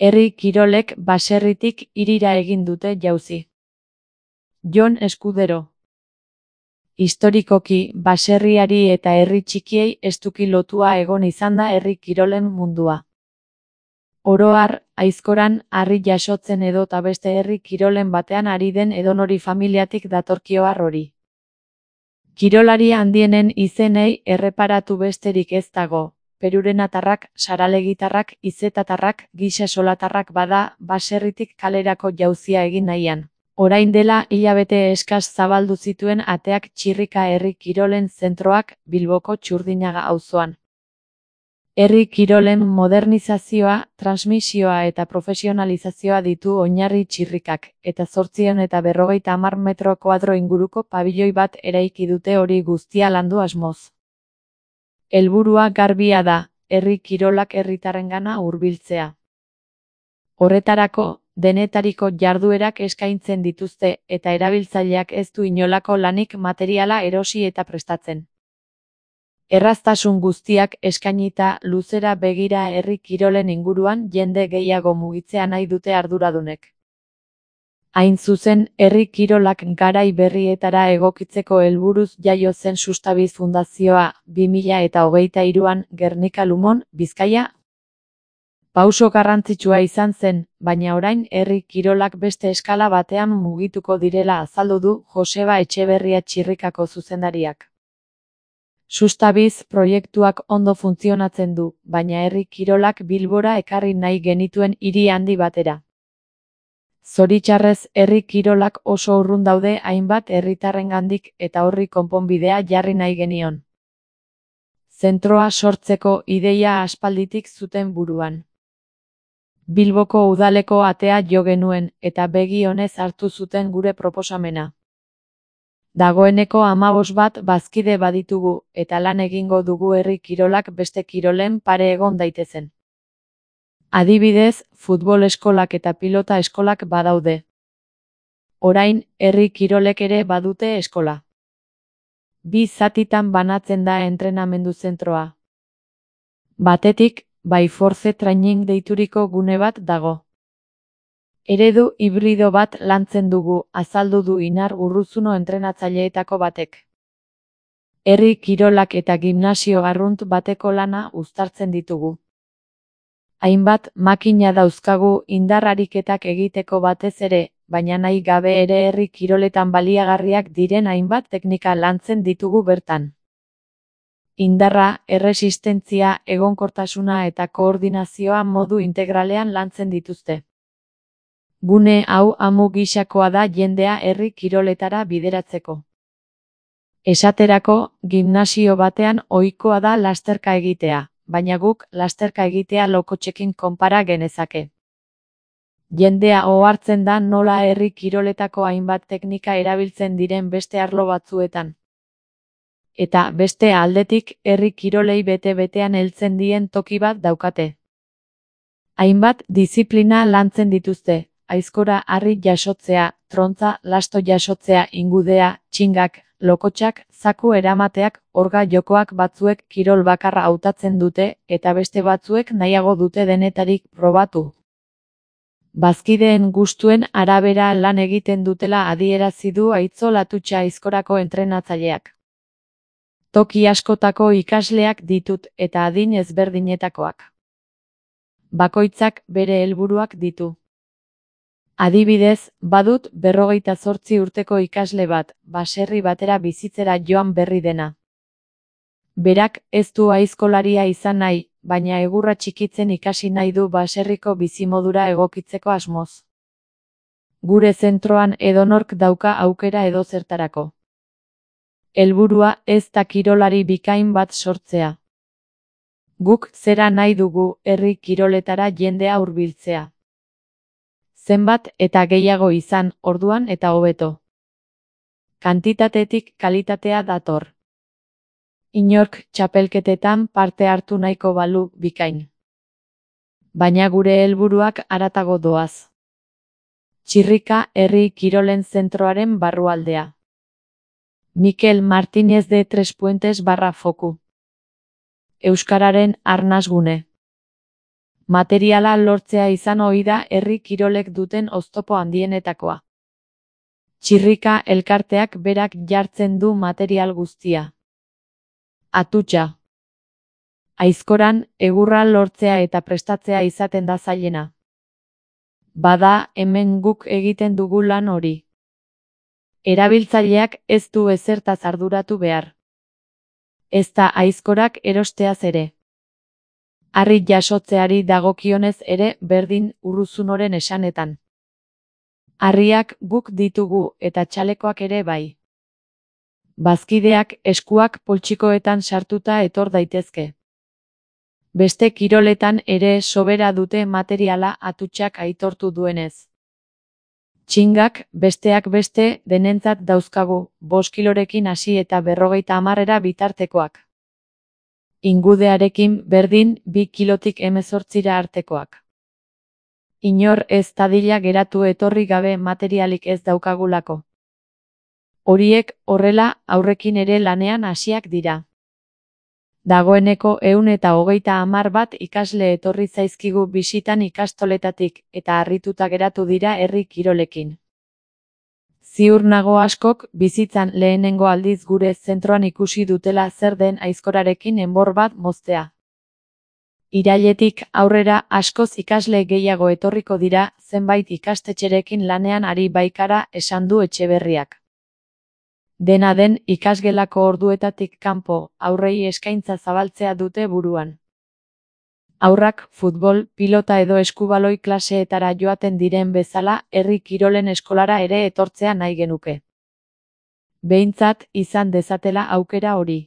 Herri kirolek baserritik hirira egin dute jauzi. Jon Eskudero. Historikoki, baserriari eta herri txikiei estuki lotua egon izan da herri kirolen mundua. Oro har, aizkoran, harri jasotzen edota beste herri kirolen batean ari den edonori familiatik datorkio har hori. Kirolari handienen izenei erreparatu besterik ez dago. Perurenatarrak, saralegitarrak, izetatarrak, gisa-solatarrak bada, baserritik kalerako jauzia egin nahian. Orain dela hilabete eskas zabaldu zituen ateak Txirrika herri kirolen zentroak Bilboko Txurdinaga auzoan. Herri kirolen modernizazioa, transmisioa eta profesionalizazioa ditu oinarri Txirrikak, eta 850 metro koadro inguruko pabiloi bat eraiki dute hori guztia landu asmoz. Helburua garbia da, herri kirolak herritarrengana hurbiltzea. Horretarako, denetariko jarduerak eskaintzen dituzte, eta erabiltzaileak ez du inolako lanik materiala erosi eta prestatzen. Erraztasun guztiak eskainita luzera begira herri kirolen inguruan jende gehiago mugitzea nahi dute arduradunek. Hain zuzen, herri kirolak garai berrietara egokitzeko helburuz jaio zen Sustabiz Fundazioa 2023an Gernika Lumon, Bizkaia. Pauso garrantzitsua izan zen, baina orain herri kirolak beste eskala batean mugituko direla azaldu du Joseba Etxeberria Txirrikako zuzendariak. Sustabiz proiektuak ondo funtzionatzen du, baina herri kirolak Bilbora ekarri nahi genituen hiri handi batera. Zoritxarrez, herri kirolak oso urrun daude hainbat herritarrengandik eta horri konponbidea jarri nahi genion. Zentroa sortzeko ideia aspalditik zuten buruan. Bilboko udaleko atea jo genuen, eta begi onez hartu zuten gure proposamena. Dagoeneko 15 bat bazkide baditugu, eta lan egingo dugu herri kirolak beste kirolen pare egon daitezen. Adibidez, futbol eskolak eta pilota eskolak badaude. Orain, herri kirolek ere badute eskola. 2 zatitan banatzen da entrenamendu zentroa. Batetik, Baiforce Training deituriko gune bat dago. Eredu hibrido bat lantzen dugu, azaldu du Inar Urruzuno entrenatzaileetako batek. Herri kirolak eta gimnasio arrunt bateko lana uztartzen ditugu. Hainbat makina dauzkagu indar ariketak egiteko batez ere, baina nahi gabe ere herri kiroletan baliagarriak diren hainbat teknika lantzen ditugu bertan. Indarra, erresistentzia, egonkortasuna eta koordinazioa modu integralean lantzen dituzte. Gune hau amu gisakoa da jendea herri kiroletara bideratzeko. Esaterako, gimnasio batean ohikoa da lasterka egitea, baina guk lasterka egitea lokotxekin konpara genezake. Jendea ohartzen da nola herri kiroletako hainbat teknika erabiltzen diren beste arlo batzuetan. Eta beste aldetik herri kirolei bete-betean heltzen dien toki bat daukate. Hainbat diziplina lantzen dituzte, aizkora harri jasotzea, trontza, lasto jasotzea, ingudea, txingak, lokotxak, zaku eramateak, orga jokoak batzuek kirol bakarra hautatzen dute, eta beste batzuek nahiago dute denetarik probatu. Bazkideen gustuen arabera lan egiten dutela adierazi du Aitzol Atutxa aizkorako entrenatzaileak. Toki askotako ikasleak ditut eta adin ezberdinetakoak. Bakoitzak bere helburuak ditu. Adibidez, badut 58 urteko ikasle bat, baserri batera bizitzera joan berri dena. Berak ez du aizkolaria izan nahi, baina egurra txikitzen ikasi nahi du baserriko bizimodura egokitzeko asmoz. Gure zentroan edonork dauka aukera edozertarako. Helburua ez da kirolari bikain bat sortzea. Guk zera nahi dugu herri kiroletara jendea hurbiltzea. Zenbat eta gehiago izan, orduan eta hobeto. Kantitatetik kalitatea dator. Inork txapelketetan parte hartu nahiko balu bikain. Baina gure helburuak haratago doaz. Txirrika herri kirolen zentroaren barrualdea. Mikel Martínez de Trespuentes /Foku. Euskararen arnasgune. Materiala lortzea izan ohi da herri kirolek duten oztopo handienetakoa. Txirrika elkarteak berak jartzen du material guztia. Atutxa. Aizkoran, egurra lortzea eta prestatzea izaten da zailena. Bada, hemen guk egiten dugu lan hori. Erabiltzaileak ez du ezertaz arduratu behar. Ezta aizkorak erosteaz ere. Harri jasotzeari dagokionez ere berdin Urruzunoren esanetan. Harriak guk ditugu eta txalekoak ere bai. Bazkideak eskuak poltsikoetan sartuta etor daitezke. Beste kiroletan ere sobera dute materiala atutxak aitortu duenez. Txingak, besteak beste, denentzat dauzkagu, 5 kilorekin hasi eta 50 bitartekoak. Ingudearekin berdin 2 kilotik 18 artekoak. Inor ez dadila geratu etorri gabe materialik ez daukagulako. Horiek horrela aurrekin ere lanean hasiak dira. Dagoeneko 130 bat ikasle etorri zaizkigu bisitan ikastoletatik eta harrituta geratu dira herri kirolekin. Ziur nago askok bizitzan lehenengo aldiz gure zentroan ikusi dutela zer den aizkorarekin enbor bat moztea. Irailetik aurrera askoz ikasle gehiago etorriko dira zenbait ikastetxerekin lanean ari baikara esan du Etxeberriak. Dena den ikasgelako orduetatik kanpo haurrei eskaintza zabaltzea dute buruan. Haurrak futbol, pilota edo eskubaloi klaseetara joaten diren bezala herri kirolen eskolara ere etortzea nahi genuke. Behintzat izan dezatela aukera hori.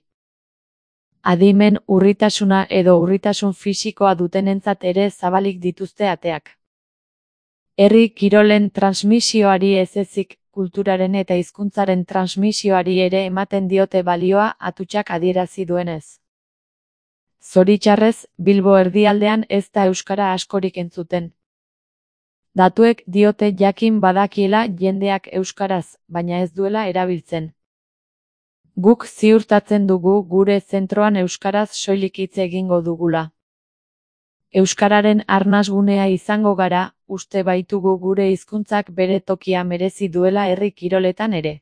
Adimen urritasuna edo urritasun fisikoa dutenentzat ere zabalik dituzte ateak. Herri kirolen transmisioari ez ezik, kulturaren eta hizkuntzaren transmisioari ere ematen diote balioa atutxak adierazi duenez. Zoritxarrez, Bilbo erdialdean ez da euskara askorik entzuten. Datuek diote jakin badakiela jendeak euskaraz, baina ez duela erabiltzen. Guk ziurtatzen dugu gure zentroan euskaraz soilik hitz egingo dugula. Euskararen arnasgunea izango gara, uste baitugu gure hizkuntzak bere tokia merezi duela herri kiroletan ere.